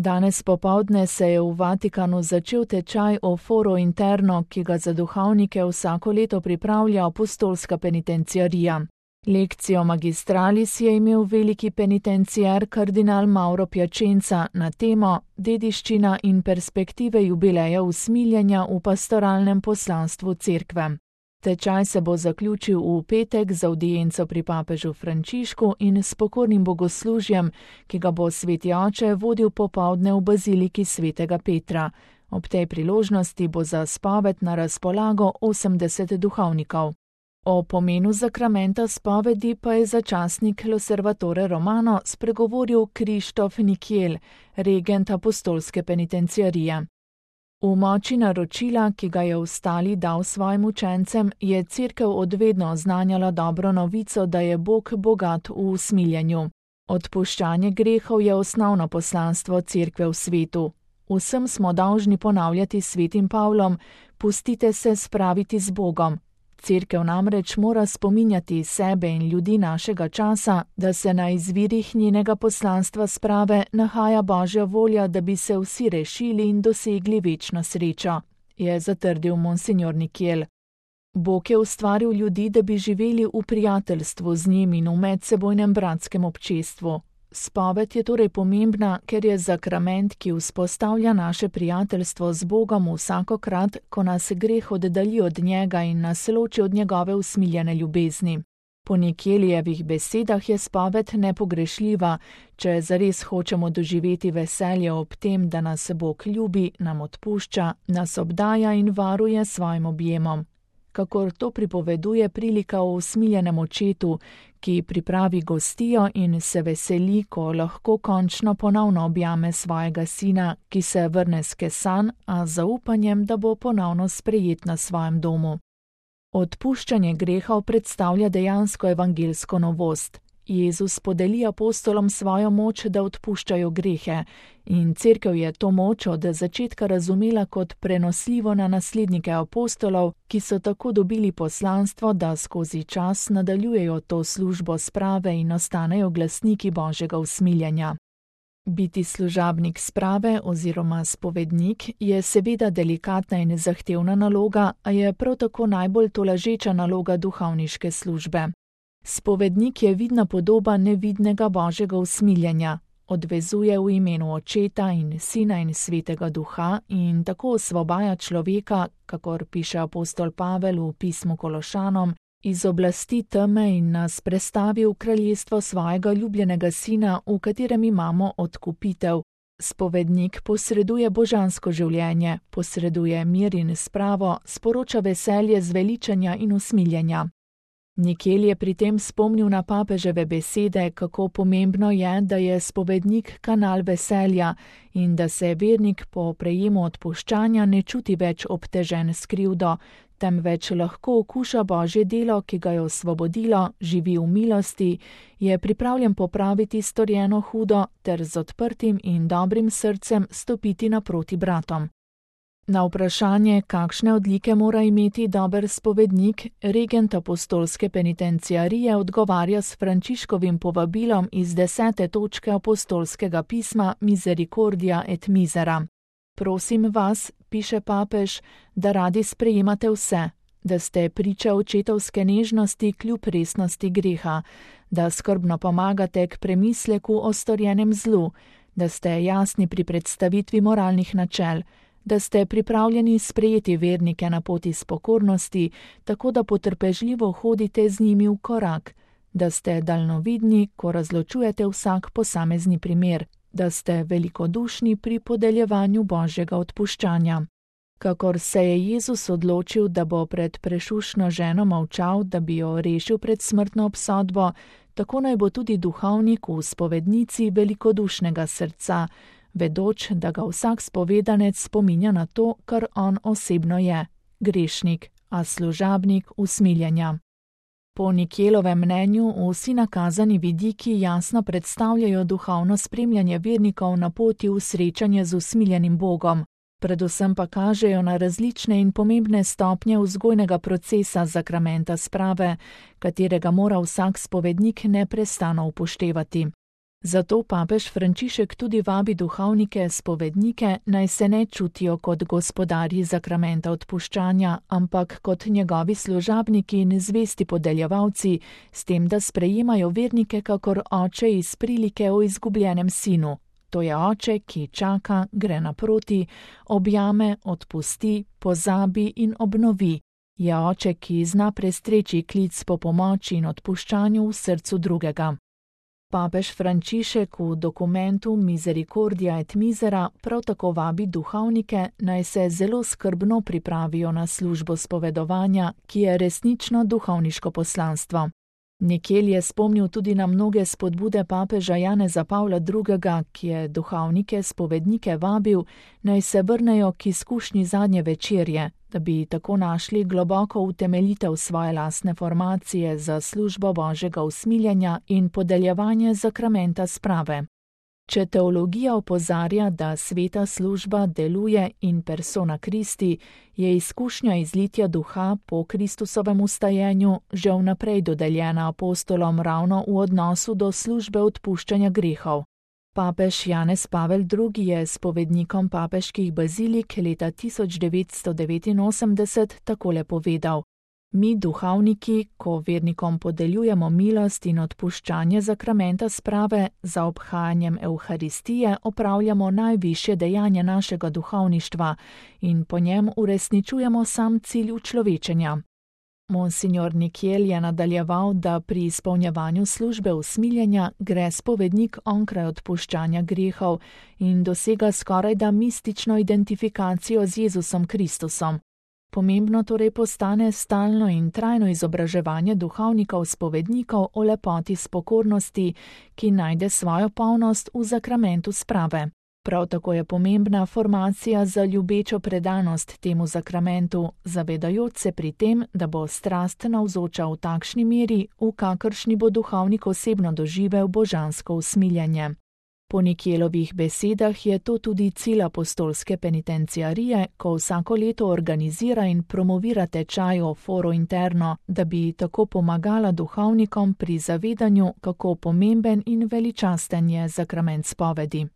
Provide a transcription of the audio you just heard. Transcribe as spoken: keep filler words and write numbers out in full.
Danes popoldne se je v Vatikanu začel tečaj o Foro Interno, ki ga za duhovnike vsako leto pripravlja apostolska penitenciarija. Lekcijo magistralis je imel veliki penitenciar kardinal Mauro Piacenza na temo Dediščina in perspektive jubileja usmiljenja v pastoralnem poslanstvu cerkve. Tečaj se bo zaključil v petek z avdienco pri papežu Frančišku in s pokornim bogoslužjem, ki ga bo sveti oče vodil popoldne v baziliki svetega Petra. Ob tej priložnosti bo za spoved na razpolago osemdeset duhovnikov. O pomenu zakramenta spovedi pa je za časnik L'Osservatore Romano spregovoril Krištof Nikiel, regent apostolske penitenciarije. V moči naročila, ki ga je Vstali dal svojim učencem, je cerkev odvedno oznanjala dobro novico, da je Bog bogat v usmiljenju. Odpuščanje grehov je osnovno poslanstvo cerkve v svetu. Vsem smo dolžni ponavljati s svetim Pavlom: pustite se spraviti z Bogom. Cerkev namreč mora spominjati sebe in ljudi našega časa, da se na izvirih njenega poslanstva sprave nahaja Božja volja, da bi se vsi rešili in dosegli večno srečo, je zatrdil monsignor Nikiel. Bog je ustvaril ljudi, da bi živeli v prijateljstvu z njim in v medsebojnem bratskem občestvu. Spoved je torej pomembna, ker je zakrament, ki vzpostavlja naše prijateljstvo z Bogom vsakokrat, ko nas greh oddalji od njega in nas loči od njegove usmiljene ljubezni. Po Nikielijevih besedah je spoved nepogrešljiva, če zares hočemo doživeti veselje ob tem, da nas Bog ljubi, nam odpušča, nas obdaja in varuje svojim objemom. Kakor to pripoveduje prilika o usmiljenem očetu, ki pripravi gostijo in se veseli, ko lahko končno ponovno objame svojega sina, ki se vrne skesan, a z zaupanjem, da bo ponovno sprejet na svojem domu. Odpuščanje grehov predstavlja dejansko evangelsko novost. Jezus podeli apostolom svojo moč, da odpuščajo grehe, in cerkev je to moč od začetka razumela kot prenosljivo na naslednike apostolov, ki so tako dobili poslanstvo, da skozi čas nadaljujejo to službo sprave in ostanejo glasniki Božjega usmiljenja. Biti služabnik sprave oziroma spovednik je seveda delikatna in zahtevna naloga, a je prav tako najbolj tolažeča naloga duhovniške službe. Spovednik je vidna podoba nevidnega Božjega usmiljenja, odvezuje v imenu Očeta in Sina in Svetega Duha in tako osvobaja človeka, kakor piše apostol Pavel v pismu Kološanom, iz oblasti teme in nas prestavi v kraljestvo svojega ljubljenega Sina, v katerem imamo odkupitev. Spovednik posreduje božansko življenje, posreduje mir in spravo, sporoča veselje zveličanja in usmiljenja. Nikiel je pri tem spomnil na papeževe besede, kako pomembno je, da je spovednik kanal veselja in da se vernik po prejemu odpuščanja ne čuti več obtežen s krivdo, temveč lahko okuša Božje delo, ki ga je osvobodilo, živi v milosti, je pripravljen popraviti storjeno hudo ter z odprtim in dobrim srcem stopiti naproti bratom. Na vprašanje, kakšne odlike mora imeti dober spovednik, regent apostolske penitenciarije odgovarja s Frančiškovim povabilom iz desete točke apostolskega pisma Misericordia et Misera. Prosim vas, piše papež, da radi sprejemate vse, da ste priča očetovske nežnosti kljub resnosti greha, da skrbno pomagate k premisleku o storjenem zlu, da ste jasni pri predstavitvi moralnih načel, da ste pripravljeni sprejeti vernike na poti s pokornosti, tako da potrpežljivo hodite z njimi v korak, da ste daljnovidni, ko razločujete vsak posamezni primer, da ste velikodušni pri podeljevanju Božjega odpuščanja. Kakor se je Jezus odločil, da bo pred prešušno ženo molčal, da bi jo rešil pred smrtno obsodbo, tako naj bo tudi duhovnik v spovednici velikodušnega srca, vedoč, da ga vsak spovedanec spominja na to, kar on osebno je, grešnik, a služabnik usmiljenja. Po Nikielovem mnenju vsi nakazani vidiki jasno predstavljajo duhovno spremljanje vernikov na poti v srečanje z usmiljenim Bogom, predvsem pa kažejo na različne in pomembne stopnje vzgojnega procesa zakramenta sprave, katerega mora vsak spovednik neprestano upoštevati. Zato papež Frančišek tudi vabi duhovnike, spovednike, naj se ne čutijo kot gospodarji zakramenta odpuščanja, ampak kot njegovi služabniki in zvesti podeljevalci, s tem, da sprejemajo vernike kakor oče iz prilike o izgubljenem sinu. To je oče, ki čaka, gre naproti, objame, odpusti, pozabi in obnovi. Je oče, ki zna prestreči klic po pomoči in odpuščanju v srcu drugega. Papež Frančišek v dokumentu Misericordia et Misera prav tako vabi duhovnike, naj se zelo skrbno pripravijo na službo spovedovanja, ki je resnično duhovniško poslanstvo. Nikjer je spomnil tudi na mnoge spodbude papeža Janeza Pavla drugega., ki je duhovnike, spovednike vabil, naj se vrnejo k izkušnji zadnje večerje, da bi tako našli globoko utemeljitev svoje lastne formacije za službo Božjega usmiljenja in podeljevanje zakramenta sprave. Če teologija opozarja, da sveta služba deluje in persona Christi, je izkušnja izlitja duha po Kristusovem vstajenju že vnaprej dodeljena apostolom ravno v odnosu do službe odpuščanja grehov. Papež Janez Pavel drugi. Je spovednikom papeških bazilik leta tisoč devetsto devetinosemdeset takole povedal: Mi, duhovniki, ko vernikom podeljujemo milost in odpuščanje zakramenta sprave, za obhajanjem Evharistije opravljamo najvišje dejanje našega duhovništva in po njem uresničujemo sam cilj učlovečenja. Monsignor Nikjel je nadaljeval, da pri izpolnjevanju službe usmiljenja gre spovednik onkraj odpuščanja grehov in dosega skorajda mistično identifikacijo z Jezusom Kristusom. Pomembno torej postane stalno in trajno izobraževanje duhovnikov spovednikov o lepoti spokornosti, ki najde svojo polnost v zakramentu sprave. Prav tako je pomembna formacija za ljubečo predanost temu zakramentu, zavedajoč se pri tem, da bo strast navzoča v takšni meri, v kakršni bo duhovnik osebno doživel božansko usmiljenje. Po Nikjelovih besedah je to tudi cilj apostolske penitenciarije, ko vsako leto organizira in promovira tečaj o foro interno, da bi tako pomagala duhovnikom pri zavedanju, kako pomemben in veličasten je zakrament spovedi.